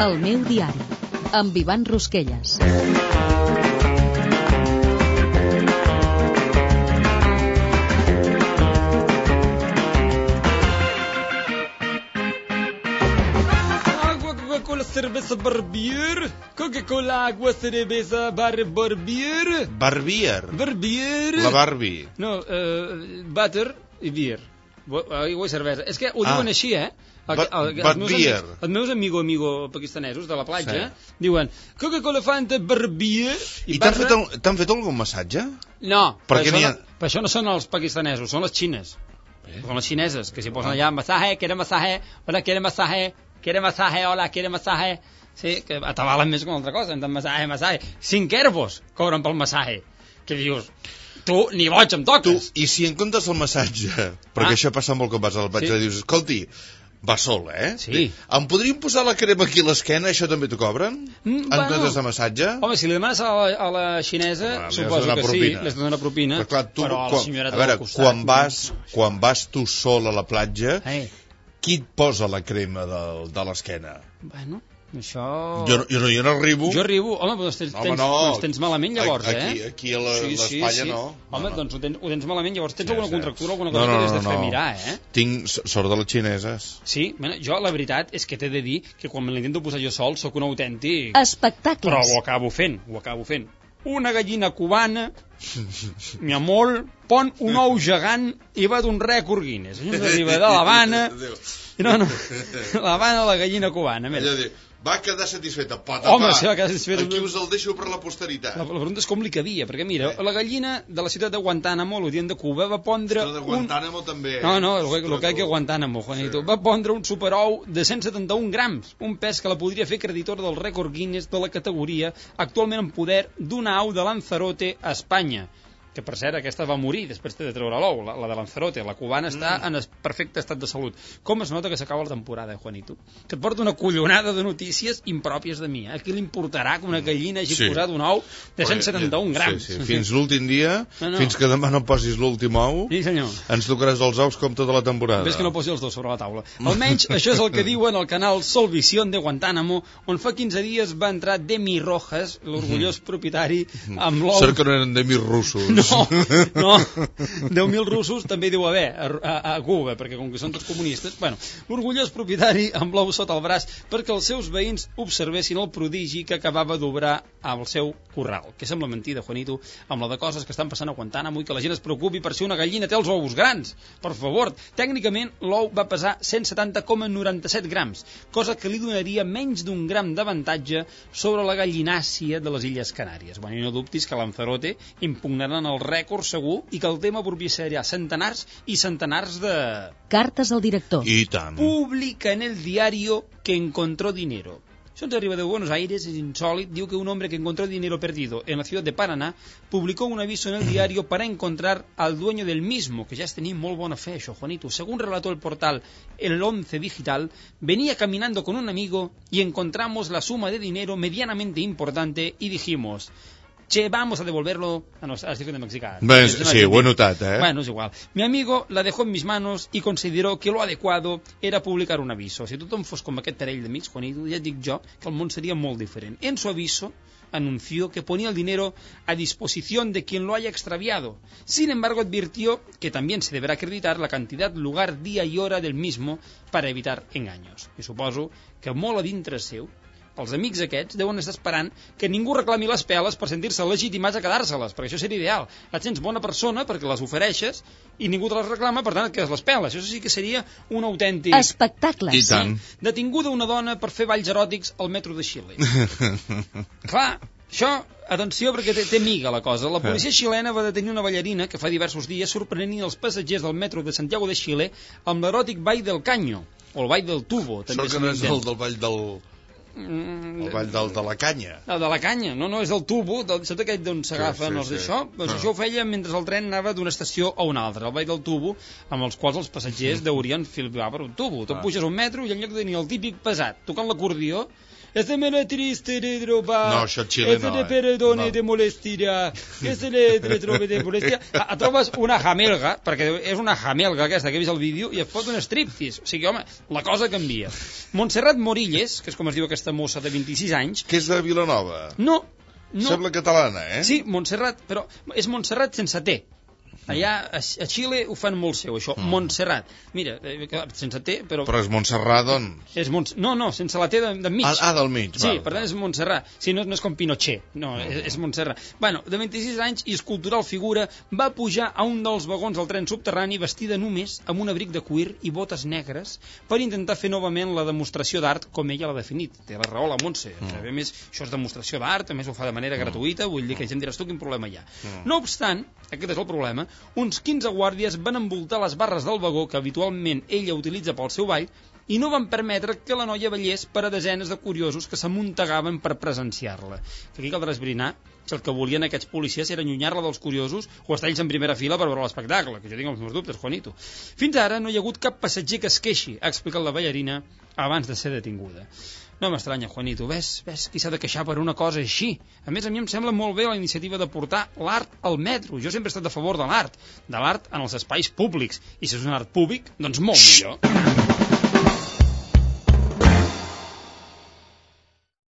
El meu diari, amb Ivan Rosquelles. Coca-Cola, cerveza, barbier. Coca-Cola, agua, cerveza, barbier. Barbier. La Barbie. No, butter i beer. Aigua i cervesa. És que ho diuen així, Els meus amigo pakistanesos de la platja diuen Coca-Cola, Fanta, barbier. I t'han fet algun massatge? No, per això no són els pakistanesos, són les xines. Són les xineses, que s'hi posen allà masaje, quiere masaje, hola, quiere masaje, hola, quiere masaje. Sí, que atabalen més que una altra cosa, masaje. 5 euros cobren pel masaje. Que dius, tu ni boig em toques. I si en comptes el massatge, perquè això passa molt quan vas a la platja, dius, escolti, va sol, Sí. Em podríem posar la crema aquí a l'esquena, això també t'ho cobren? En comptes de massatge? Home, si li demanes a la xinesa, suposo que sí, li has de donar propina. Però a la senyoreta del costat... Quan vas tu sol a la platja, qui et posa la crema de l'esquena? Bueno, això... Jo no arribo. Jo arribo. Home, doncs tens malament llavors, Aquí a l'espatlla no. Home, doncs ho tens malament llavors. Tens alguna contractura, alguna cosa que has de fer mirar, Tinc sort de les xineses. Sí, jo la veritat és que t'he de dir que quan me l'intento posar jo sol sóc un autèntic... Espectacles. Però ho acabo fent. Una gallina cubana, mi amor, pon un ou gegant i va d'un rècord Guinness. Arriba de l'Havana... No, l'Havana, la gallina cubana. Va quedar satisfeta. Home, sí, va quedar satisfeta. Aquí us el deixo per la posteritat. La pregunta és com li cabia, perquè mira, la gallina de la ciutat de Guantánamo, l'Odient de Cuba, va pondre... De Guantánamo també. No, el que hay que Guantánamo, Juanito. Va pondre un superou de 171 grams, un pes que la podria fer creditora del rècord Guinness de la categoria, actualment en poder d'una au de Lanzarote a Espanya. Que per cert, aquesta va morir després de treure l'ou, la de Lanzarote. La cubana està en perfecte estat de salut. Com es nota que s'acaba la temporada, Juanito? Que et porta una collonada de notícies impròpies de mi. A qui li importarà que una gallina hagi posat un ou de 171 grams? Sí. Fins l'últim dia, fins que demà no posis l'últim ou, ens tocaràs els ous com tota la temporada. Ves que no posi els dos sobre la taula. Almenys això és el que diuen al canal Solvisión de Guantánamo, on fa 15 dies va entrar Demi Rojas, l'orgullós propietari, amb l'ou... Cert que no eren Demi russos. No, 10.000 russos també deu haver a Cuba, perquè com que són tots comunistes, l'orgullós propietari amb l'ou sota el braç perquè els seus veïns observessin el prodigi que acabava d'obrar al seu corral. Que sembla mentida, Juanito, amb la de coses que estan passant a Guantánamo i que la gent es preocupi per si una gallina té els ous grans. Per favor, tècnicament l'ou va pesar 170,97 grams, cosa que li donaria menys d'un gram d'avantatge sobre la gallinàcia de les Illes Canàries. I no dubtis que Lanzarote impugnaran el rècord segur i que el tema propiciarà centenars i centenars de... Cartes al director. I tant. Publica en el diario que encontró dinero. Eso nos arriba de Buenos Aires, es insólito. Digo que un hombre que encontró dinero perdido en la ciudad de Paraná publicó un aviso en el diario para encontrar al dueño del mismo, que ya tenía muy buena fe, eso, Juanito. Según relató el portal El 11 Digital, venía caminando con un amigo y encontramos la suma de dinero medianamente importante y dijimos... Che, vamos a devolverlo... no, estic fent de mexicà. Sí, ho he notat, Bueno, es igual. Mi amigo la dejó en mis manos y consideró que lo adecuado era publicar un aviso. Si tothom fos com aquest parell d'amics, Juanito, ja et dic jo que el món seria molt diferent. En su aviso anunció que ponía el dinero a disposición de quien lo haya extraviado. Sin embargo, advirtió que también se deberá acreditar la cantidad, lugar, día y hora del mismo para evitar engaños. I suposo que molt a dintre seu els amics aquests deuen estar esperant que ningú reclami les peles per sentir-se legitimats a quedar-se-les, perquè això seria ideal. Et sents bona persona perquè les ofereixes i ningú te les reclama, per tant et quedes les peles. Això sí que seria un autèntic... Espectacles. I tant. Detinguda una dona per fer balls eròtics al metro de Xile. Clar, això... Atenció, perquè té miga la cosa. La policia xilena va detenir una ballarina que fa diversos dies sorprenent els passatgers del metro de Santiago de Xile amb l'eròtic ball del Caño, o el ball del tubo. Sort que no és el del ball del... El ball de la canya. El de la canya, no, és el tubo, saps aquell d'on s'agafen els d'això? Doncs això ho feia mentre el tren anava d'una estació a una altra, el ball del tubo, amb els quals els passatgers deurien filbar per un tubo. Tu puges un metro i en lloc de tenir el típic pesat tocant l'acordió, este me la triste de trobar. No, això Xile no, Este te perdone de molestia. Que se le trobe de molestia. Trobes una jamelga, perquè és una jamelga aquesta que he vist el vídeo, i et fot un striptease. O sigui, home, la cosa canvia. Montserrat Morilles, que és com es diu aquesta mossa de 26 anys... Que és de Vilanova? No. Sembla catalana, Sí, Montserrat, però és Montserrat sense T. Allà a Xile ho fan molt seu, això. Montserrat. Mira, sense T, però... Però és Montserrat, doncs? No, sense la T de mig. Del mig. Sí, per tant és Montserrat. Sí, no és com Pinochet, no, és Montserrat. Bueno, de 26 anys i escultural figura, va pujar a un dels vagons del tren subterrani vestida només amb un abric de cuir i botes negres per intentar fer novament la demostració d'art com ella l'ha definit. Té la raó la Montse. A més, això és demostració d'art, a més ho fa de manera gratuïta, vull dir que ja em diràs tu quin problema hi ha. No obstant, aquest és el problema, uns 15 guàrdies van envoltar les barres del vagó que habitualment ella utilitza pel seu ball i no van permetre que la noia ballés per a desenes de curiosos que s'amuntegaven per presenciar-la. Que aquí caldrà esbrinar si el que volien aquests policies era allunyar-la dels curiosos o estar ells en primera fila per veure l'espectacle, que jo tinc els meus dubtes, Juanito. Fins ara no hi ha hagut cap passatger que es queixi, ha explicat la ballarina abans de ser detinguda. No m'estranya, Juanito, ves qui s'ha de queixar per una cosa així. A més, a mi em sembla molt bé la iniciativa de portar l'art al metro. Jo sempre he estat a favor de l'art en els espais públics. I si és un art públic, doncs molt millor.